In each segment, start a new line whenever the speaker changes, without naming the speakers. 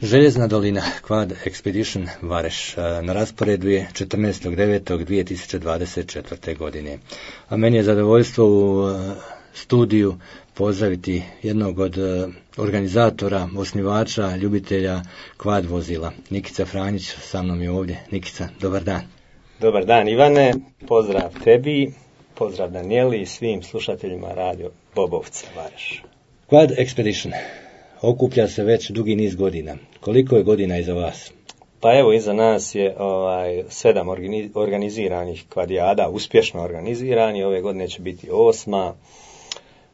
Željezna dolina Quad Expedition Vareš na rasporedu je 14.9.2024. godine. A meni je zadovoljstvo u studiju pozdraviti jednog od organizatora, osnivača, ljubitelja quad vozila. Nikica Franjić sa mnom je ovdje. Nikica, dobar dan.
Dobar dan Ivane, pozdrav tebi, pozdrav Danijeli i svim slušateljima radio Bobovca Vareš.
Quad Expedition okuplja se već dugi niz godina. Koliko je godina iza vas?
Pa evo, iza nas je 7 organiziranih kvadijada, uspješno organizirani. Ove godine će biti 8.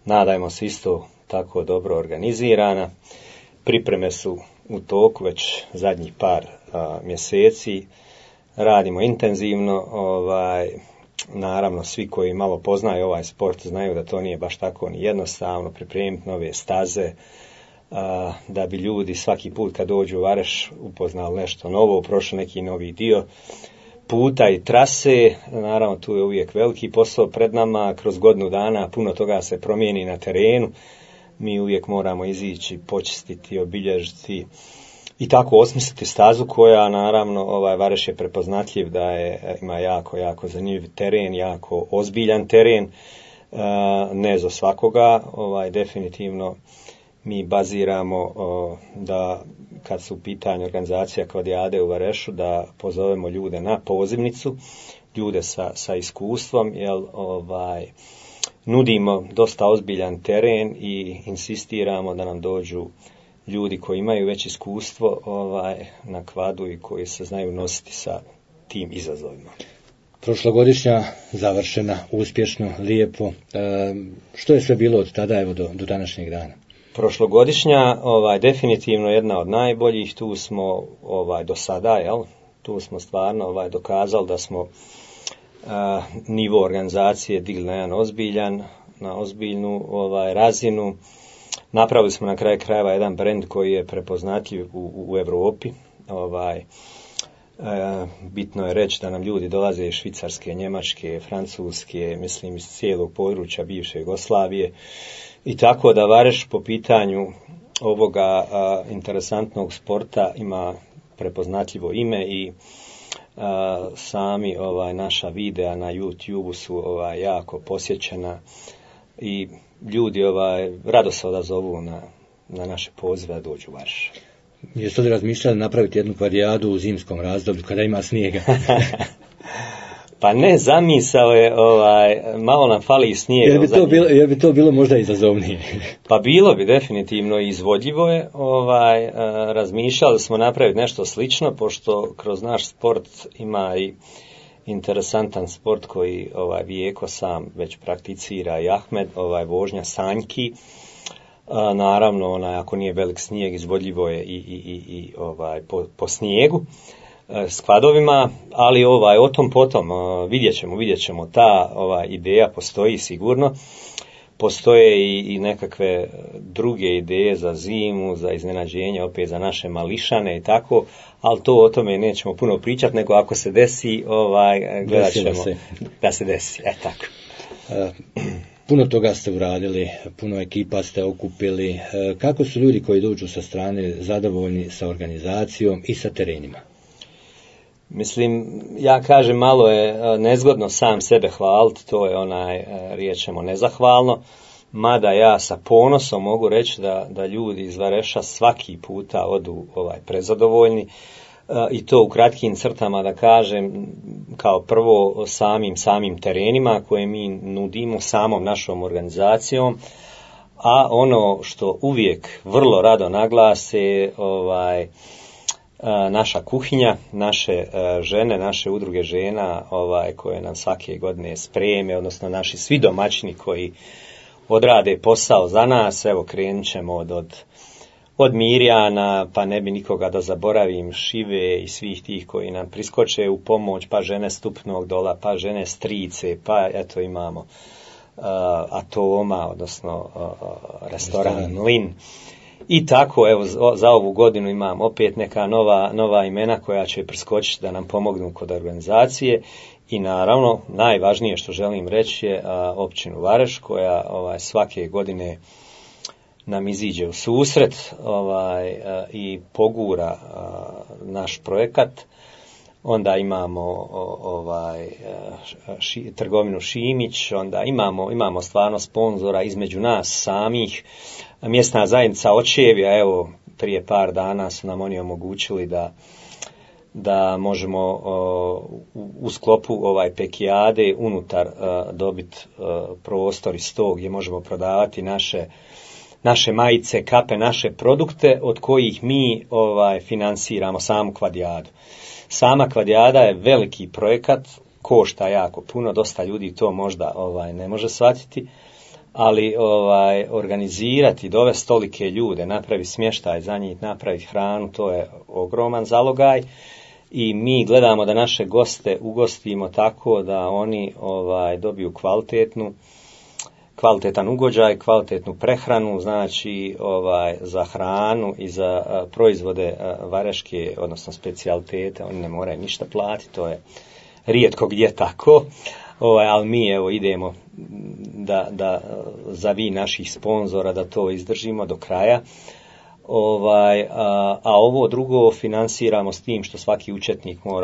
Nadajmo se isto tako dobro organizirana. Pripreme su u toku već zadnjih par mjeseci. Radimo intenzivno. Naravno, svi koji malo poznaju ovaj sport znaju da to nije baš tako ni jednostavno pripremiti nove staze, da bi ljudi svaki put kad dođu u Vareš upoznali nešto novo, prošli neki novi dio puta i trase. Naravno, tu je uvijek veliki posao pred nama. Kroz godinu dana puno toga se promijeni na terenu. Mi uvijek moramo izići, počistiti, obilježiti i tako osmisliti stazu koja, naravno, Vareš je prepoznatljiv da ima jako zanimljiv teren, jako ozbiljan teren, ne za svakoga. Definitivno mi baziramo da kad su u pitanju organizacija kvadijade u Varešu, da pozovemo ljude na pozivnicu, ljude sa iskustvom, jer nudimo dosta ozbiljan teren i insistiramo da nam dođu ljudi koji imaju već iskustvo na kvadu i koji se znaju nositi sa tim izazovima.
Prošlogodišnja završena, uspješno, lijepo. Što je sve bilo od tada evo do današnjeg dana?
Prošlogodišnja, definitivno jedna od najboljih. Tu smo do sada, tu smo stvarno dokazali da smo nivo organizacije digli na jedan na ozbiljnu razinu. Napravili smo na kraju krajeva jedan brend koji je prepoznatljiv u Europi. Bitno je reći da nam ljudi dolaze iz Švicarske, Njemačke, Francuske, mislim iz cijelog područja bivše Jugoslavije. I tako da Vareš po pitanju ovoga interesantnog sporta ima prepoznatljivo ime i sami naša videa na YouTube su jako posjećena i ljudi rado se odazovu na naše pozive da dođu u Vareš.
Jeste li razmišljali napraviti jednu kvadijadu u zimskom razdoblju kada ima snijega?
Pa ne, zamisao je, malo nam fali i snijega.
Jer bi to bilo možda izazovnije?
Pa bilo bi definitivno izvodljivo je. Razmišljali smo napraviti nešto slično, pošto kroz naš sport ima i interesantan sport koji Vijeko sam već prakticira i Ahmed, vožnja sanjki. Naravno, ako nije velik snijeg, izvodljivo je i po snijegu s kvadovima, ali o tom potom vidjet ćemo. Ta ideja postoji sigurno. Postoje i nekakve druge ideje za zimu, za iznenađenje, opet za naše mališane i tako, ali o tome nećemo puno pričati, nego ako se desi, gledat ćemo da se desi. Tako.
Puno toga ste uradili, puno ekipa ste okupili. Kako su ljudi koji dođu sa strane zadovoljni sa organizacijom i sa terenima?
Mislim, ja kažem, malo je nezgodno sam sebe hvaliti, to je riječemo nezahvalno, mada ja sa ponosom mogu reći da ljudi iz Vareša svaki puta odu prezadovoljni, i to u kratkim crtama da kažem, kao prvo samim terenima koje mi nudimo, samom našom organizacijom, a ono što uvijek vrlo rado naglase, naša kuhinja, naše žene, naše udruge žena koje nam svake godine spreme, odnosno naši svi domaćini koji odrade posao za nas. Evo, krenut ćemo od Mirjana, pa ne bi nikoga da zaboravim, Šive i svih tih koji nam priskoče u pomoć, pa žene Stupnog Dola, pa žene Strice, pa eto imamo Atoma, odnosno restoran Lin. I tako, evo, za ovu godinu imam opet neka nova imena koja će priskočiti da nam pomognu kod organizacije. I naravno, najvažnije što želim reći je općinu Vareš, koja svake godine nam iziđe u susret i pogura naš projekat. Onda imamo trgovinu Šimić, onda imamo stvarno sponzora između nas samih. Mjesna zajednica Očevija, evo prije par dana su nam oni omogućili da možemo u sklopu pekijade unutar dobiti prostor iz tog gdje možemo prodavati naše majice, kape, naše produkte od kojih mi financiramo samu kvadijadu. Sama kvadijada je veliki projekat, košta jako puno, dosta ljudi to možda ne može shvatiti, ali organizirati, dovesti tolike ljude, napravi smještaj za njih, napraviti hranu, to je ogroman zalogaj i mi gledamo da naše goste ugostimo tako da oni dobiju kvalitetan ugođaj, kvalitetnu prehranu, znači za hranu i za proizvode vareške, odnosno specijalitete, oni ne moraju ništa platiti, to je rijetko gdje tako, ali mi evo idemo da za vi naših sponzora da to izdržimo do kraja. A ovo drugo finansiramo s tim što svaki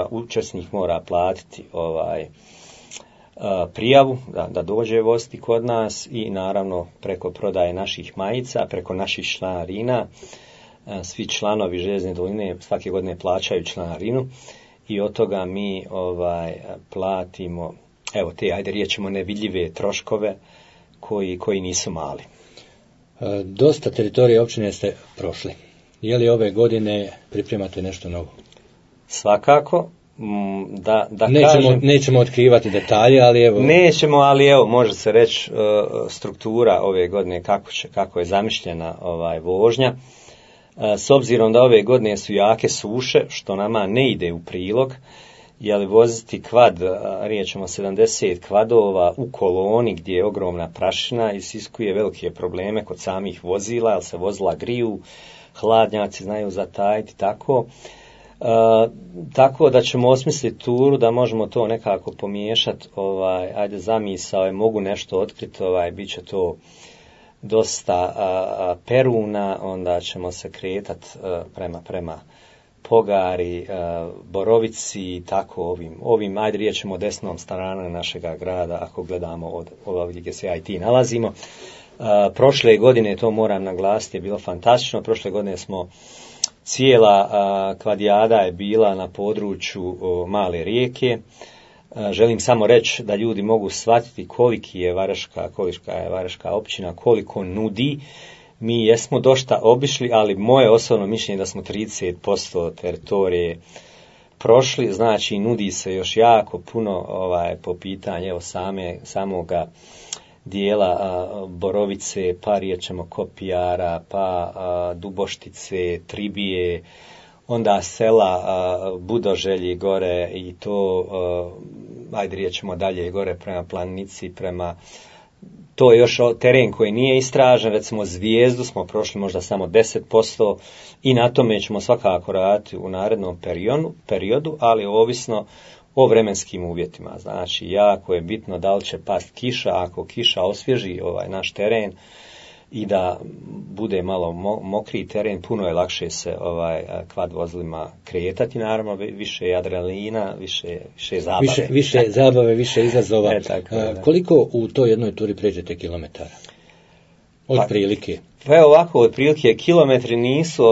učesnik mora platiti prijavu da dođe voziti kod nas i naravno preko prodaje naših majica, preko naših članarina. Svi članovi Željezne doline svake godine plaćaju članarinu i od toga mi platimo evo te, ajde riječimo, nevidljive troškove koji nisu mali.
Dosta teritorije općine ste prošli. Je li ove godine pripremate nešto novo?
Svakako.
Nećemo otkrivati detalje, ali evo...
Nećemo, ali evo, može se reći struktura ove godine, kako je zamišljena vožnja. S obzirom da ove godine su jake suše, što nama ne ide u prilog, jer voziti kvad, riječemo 70 kvadova u koloni gdje je ogromna prašina, isiskuje velike probleme kod samih vozila, jer se vozila griju, hladnjaci znaju zatajiti, tako. Tako da ćemo osmisliti turu da možemo to nekako pomiješati, ajde zamisao, mogu nešto otkriti, bit će to dosta peruna, onda ćemo se kretati prema Pogari, Borovici, tako ovim ajde riječemo desnom stranom našega grada, ako gledamo od ovdje gdje se ja i ti nalazimo. Prošle godine, to moram naglasiti, je bilo fantastično, prošle godine smo cijela kvadijada je bila na području Male Rijeke. Želim samo reći da ljudi mogu shvatiti kolika je Varaška općina, koliko nudi. Mi jesmo dosta obišli, ali moje osobno mišljenje da smo 30% teritorije prošli, znači nudi se još jako puno po pitanju samoga dijela Borovice, pa riječemo Kopijara, pa Duboštice, Tribije, onda sela Budoželji gore i to, ajde riječemo dalje gore prema Planici, to je još teren koji nije istražen, recimo Zvijezdu smo prošli možda samo 10% i na tome ćemo svakako raditi u narednom periodu, ali ovisno o vremenskim uvjetima. Znači, jako je bitno da li će past kiša, ako kiša osvježi naš teren i da bude malo mokri teren, puno je lakše se kvad vozilima kretati, naravno, više je adrenalina, više zabave.
Više zabave, više izazova. Koliko u toj jednoj turi pređete kilometara? Od prilike?
Pa evo ovako, od prilike kilometri nisu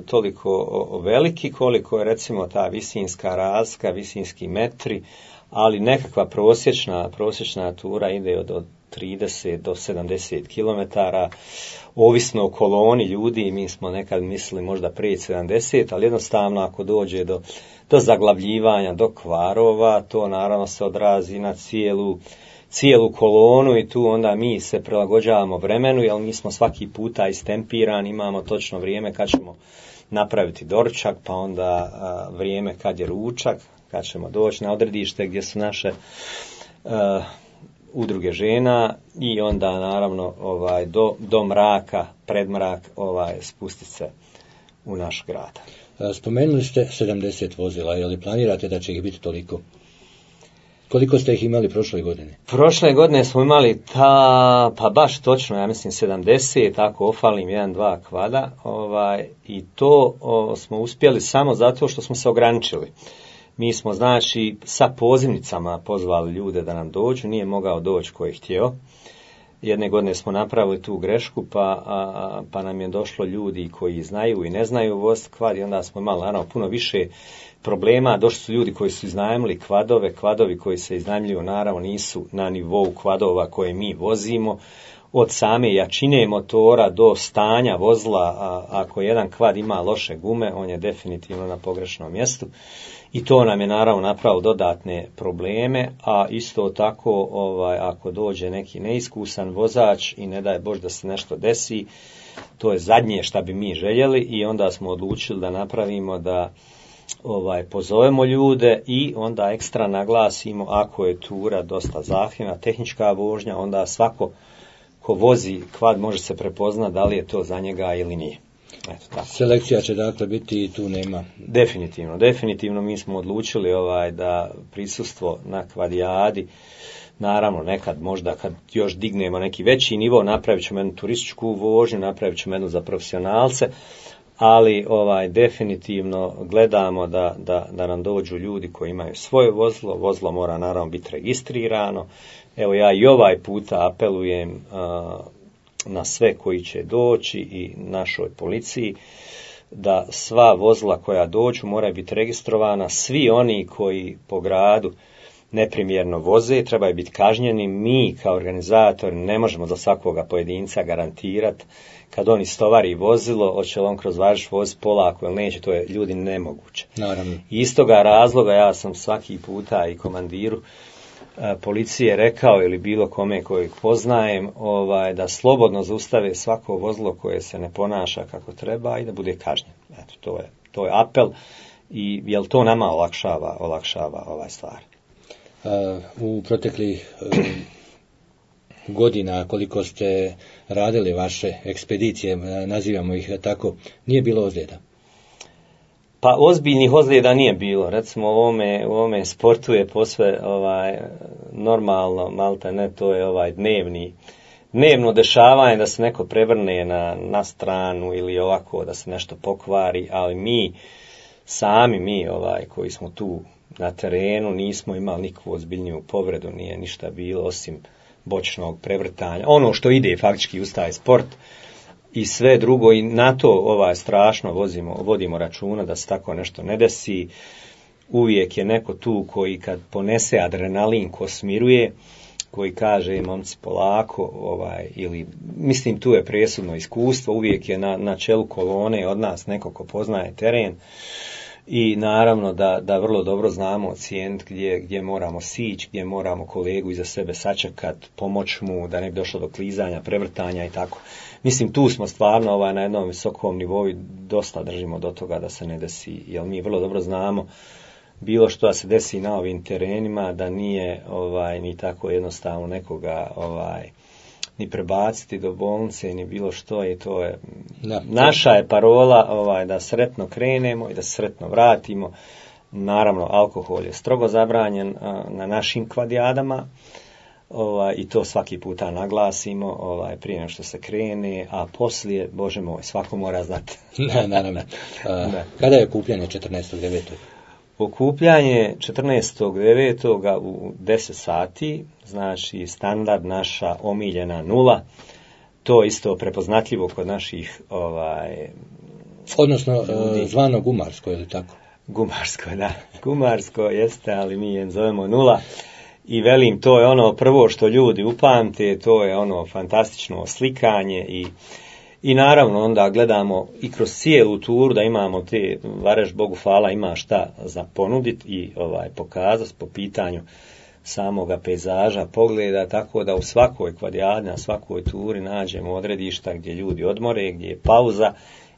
toliko veliki koliko je recimo ta visinska razlika, visinski metri, ali nekakva prosječna tura ide od 30 do 70 km, ovisno o koloni ljudi, mi smo nekad mislili možda prije 70, ali jednostavno ako dođe do zaglavljivanja, do kvarova, to naravno se odrazi na cijelu kolonu i tu onda mi se prilagođavamo vremenu, jer mi smo svaki puta istempirani, imamo točno vrijeme kad ćemo napraviti doručak, pa onda vrijeme kad je ručak, kad ćemo doći na odredište gdje su naše udruge žena i onda naravno do mraka, pred mrak spustiti se u naš grad.
Spomenuli ste 70 vozila, je li planirate da će ih biti toliko? Koliko ste ih imali prošle godine?
Prošle godine smo imali pa baš točno, ja mislim 70, tako ofalim 1-2 kvada, i to smo uspjeli samo zato što smo se ograničili. Mi smo, znači, sa pozivnicama pozvali ljude da nam dođu, nije mogao doći ko je htio. Jedne godine smo napravili tu grešku, pa nam je došlo ljudi koji znaju i ne znaju voziti kvad i onda smo imali naravno puno više problema. Došli su ljudi koji su iznajmili kvadove, kvadovi koji se iznajmljuju naravno nisu na nivou kvadova koje mi vozimo. Od same jačine motora do stanja vozila, ako jedan kvad ima loše gume, on je definitivno na pogrešnom mjestu. I to nam je naravno napravilo dodatne probleme, a isto tako ako dođe neki neiskusan vozač i ne daj Bože da se nešto desi, to je zadnje šta bi mi željeli i onda smo odlučili da napravimo da pozovemo ljude i onda ekstra naglasimo ako je tura dosta zahtjevna, tehnička vožnja, onda svako ko vozi kvad može se prepoznati da li je to za njega ili nije. Eto, tako.
Selekcija će dakle biti i tu nema.
Definitivno mi smo odlučili da prisustvo na kvadijadi, naravno nekad možda kad još dignemo neki veći nivo, napravit ćemo jednu turističku vožnju, napravit ćemo jednu za profesionalce, ali definitivno gledamo da nam dođu ljudi koji imaju svoje vozilo mora naravno biti registrirano. Evo ja i ovaj puta apelujem na sve koji će doći i našoj policiji da sva vozila koja dođu moraju biti registrovana, svi oni koji po gradu neprimjerno voze trebaju biti kažnjeni. Mi kao organizatori ne možemo za svakoga pojedinca garantirati kad on istovari vozilo, hoće li on kroz Varaždin voziti polako ili neće, to je ljudi nemoguće.
Naravno.
Iz toga razloga ja sam svaki puta i komandiru policije rekao ili bilo kome kojeg poznajem da slobodno zaustave svako vozilo koje se ne ponaša kako treba i da bude kažnjen. Eto, to je apel i jel to nama olakšava ovaj stvar.
U proteklih godina koliko ste radili vaše ekspedicije, nazivamo ih tako, nije bilo ozljeda?
Pa ozbiljnih ozljeda nije bilo. Recimo u ovome sportu je posve normalno, malte ne, to je dnevno dešavanje da se neko prevrne na stranu ili ovako da se nešto pokvari, ali mi koji smo tu na terenu nismo imali nikakvu ozbiljniju povredu, nije ništa bilo osim bočnog prevrtanja. Ono što ide faktički uz taj sport i sve drugo i na to strašno vodimo računa da se tako nešto ne desi. Uvijek je neko tu koji kad ponese adrenalin ko smiruje, koji kaže momci polako, ili mislim tu je presudno iskustvo, uvijek je na čelu kolone od nas neko ko poznaje teren i naravno da vrlo dobro znamo ocijeniti gdje moramo sići, gdje moramo kolegu iza sebe sačekati, pomoć mu da ne bi došlo do klizanja, prevrtanja i tako. Mislim, tu smo stvarno na jednom visokom nivou dosta držimo do toga da se ne desi, jer mi vrlo dobro znamo bilo što da se desi na ovim terenima, da nije ni tako jednostavno nekoga ni prebaciti do bolnice, ni bilo što, i to je naša je parola da sretno krenemo i da sretno vratimo. Naravno, alkohol je strogo zabranjen na našim kvadijadama, i to svaki puta naglasimo prije nego što se krene, a poslije, Bože moj, svako mora znati.
Naravno. Kada je okupljanje 14.9.?
Okupljanje 14.9. u 10 sati, znači standard naša omiljena 0, to isto prepoznatljivo kod naših
odnosno zvano gumarsko, je li tako?
Gumarsko, da. Gumarsko jeste, ali mi je zovemo 0. I velim, to je ono prvo što ljudi upamte, to je ono fantastično slikanje i naravno onda gledamo i kroz cijelu turu da imamo te, Varaždin, Bogu hvala, ima šta za ponuditi i pokazati po pitanju samoga pejzaža, pogleda, tako da u svakoj kvadijadi, na svakoj turi nađemo odredišta gdje ljudi odmore, gdje je pauza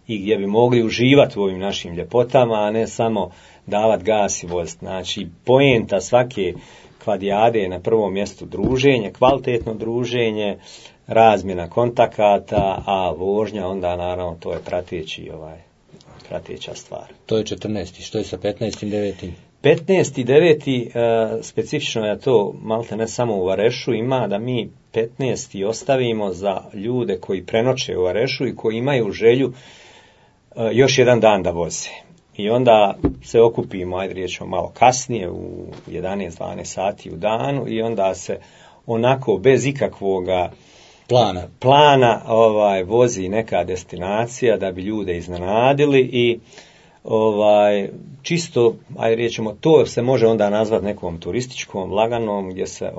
i gdje bi mogli uživati u ovim našim ljepotama, a ne samo davati gas i voziti. Znači, poenta svake kvadijade je na prvom mjestu druženje, kvalitetno druženje, razmjena kontakata, a vožnja onda naravno to je prateća stvar.
To je 14. Što je sa 15.9.?
15.9. Specifično je to malte ne samo u Varešu ima da mi 15. ostavimo za ljude koji prenoće u Varešu i koji imaju želju još jedan dan da voze. I onda se okupimo, ajde riječno malo kasnije, u 11-12 sati u danu i onda se onako bez ikakvoga plana vozi neka destinacija da bi ljude iznenadili i čisto, ajde riječemo, to se može onda nazvati nekom turističkom, laganom, gdje se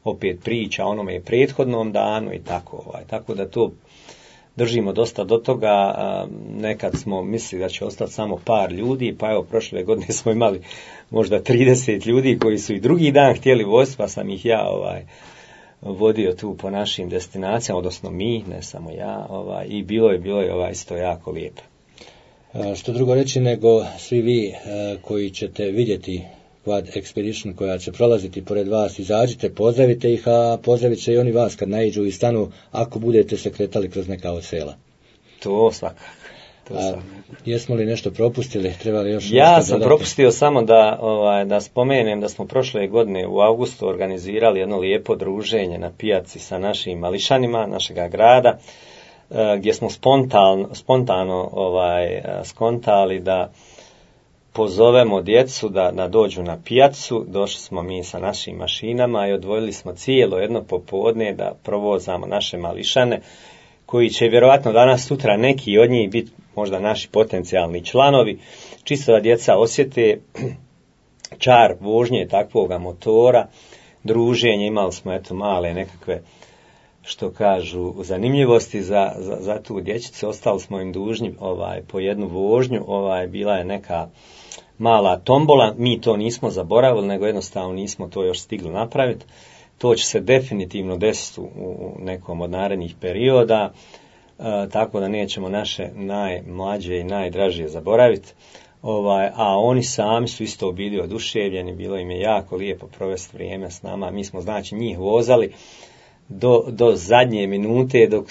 opet priča o onome prethodnom danu i tako. Tako da to držimo dosta do toga. Nekad smo mislili da će ostati samo par ljudi, pa evo prošle godine smo imali možda 30 ljudi koji su i drugi dan htjeli voziti, pa sam ih ja vodio tu po našim destinacijama, odnosno mi, ne samo ja, i bilo je isto jako lijepo.
Što drugo reći nego svi vi koji ćete vidjeti Quad Expedition koja će prolaziti pored vas, izađite, pozdravite ih, a pozdravit će i oni vas kad naiđu i stanu ako budete se kretali kroz neka od sela.
To svakako.
Jesmo li nešto propustili? Treba li još
ja sam dodati? Propustio samo da spomenem da smo prošle godine u avgustu organizirali jedno lijepo druženje na pijaci sa našim mališanima našega grada, gdje smo spontano skontali da pozovemo djecu da dođu na pijacu. Došli smo mi sa našim mašinama i odvojili smo cijelo jedno popodne da provozamo naše mališane, koji će vjerojatno danas sutra neki od njih biti možda naši potencijalni članovi, čisto da djeca osjete čar vožnje takvoga motora, druženje. Imali smo male nekakve, što kažu, zanimljivosti za tu dječicu. Ostali smo im dužni po jednu vožnju, bila je neka mala tombola, mi to nismo zaboravili, nego jednostavno nismo to još stigli napraviti. To će se definitivno desiti u nekom od narednih perioda, tako da nećemo naše najmlađe i najdražije zaboraviti. A oni sami su isto bili oduševljeni, bilo im je jako lijepo provesti vrijeme s nama. Mi smo znači njih vozali do zadnje minute, dok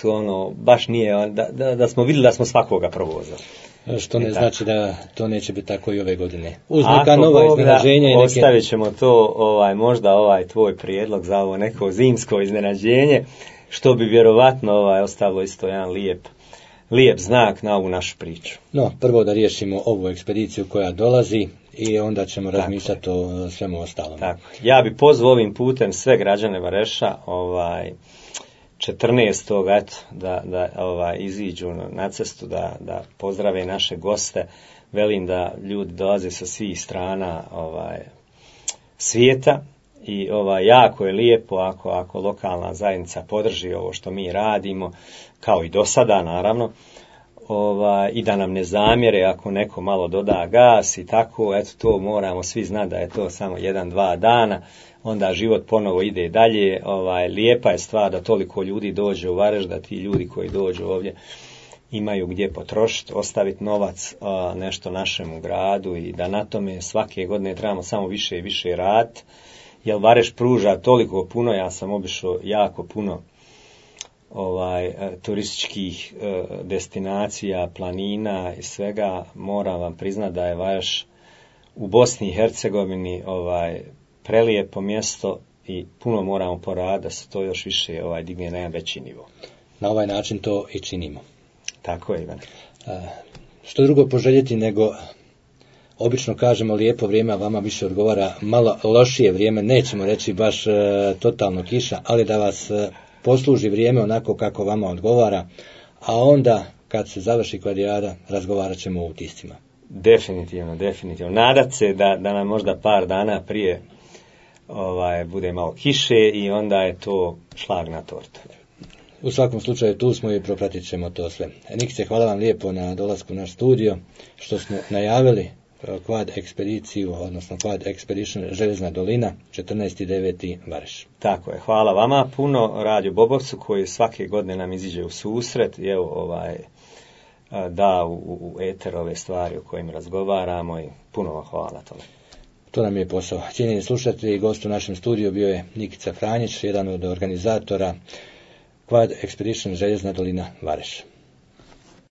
baš nije, da smo vidjeli da smo svakoga provozali.
Što ne znači da to neće biti tako i ove godine. Uz neka nova iznenađenja i neke...
Ostavit ćemo to, možda tvoj prijedlog za ovo neko zimsko iznenađenje, što bi vjerovatno ostavilo isto jedan lijep znak na ovu našu priču.
No, prvo da riješimo ovu ekspediciju koja dolazi i onda ćemo razmišljati o svemu ostalom.
Tako. Ja bi pozvao ovim putem sve građane Vareša 14. da iziđu na cestu, da pozdrave naše goste. Velim da ljudi dolaze sa svih strana svijeta i jako je lijepo ako lokalna zajednica podrži ovo što mi radimo, kao i do sada naravno, i da nam ne zamjere ako neko malo doda gas i tako. To moramo svi znati da je to samo 1-2 dana, onda život ponovo ide dalje. Lijepa je stvar da toliko ljudi dođe u Vareš, da ti ljudi koji dođu ovdje imaju gdje potrošiti, ostaviti novac, nešto našemu gradu, i da na tome svake godine trebamo samo više i više raditi, jer Vareš pruža toliko puno. Ja sam obišao jako puno turističkih destinacija, planina i svega. Moram vam priznati da je Vareš u Bosni i Hercegovini prelijepo mjesto i puno moramo poraditi da se to još više digne na jedan veći nivo.
Na ovaj način to i činimo.
Tako je, Ivane.
Što drugo poželjeti nego, obično kažemo lijepo vrijeme, a vama više odgovara malo lošije vrijeme, nećemo reći baš totalno kiša, ali da vas posluži vrijeme onako kako vama odgovara, a onda kad se završi kvadrijada razgovarat ćemo o utiscima.
Definitivno. Nadat se da nam možda par dana prije bude malo kiše i onda je to šlag na tortu.
U svakom slučaju tu smo i propratit ćemo to sve. Nikice, hvala vam lijepo na dolasku u naš studio, što smo najavili Quad ekspediciju, odnosno Quad Expedition Željezna dolina, 14.9. Vareš.
Tako je, hvala vama puno, Radio Bobovcu, koji svake godine nam iziđe u susret i evo da u eter ove stvari o kojim razgovaramo, i puno vam hvala na tome.
To nam je posao. Cijenjeni slušatelji, gost u našem studiju bio je Nikica Franjić, jedan od organizatora Quad Expedition Željezna dolina Vareš.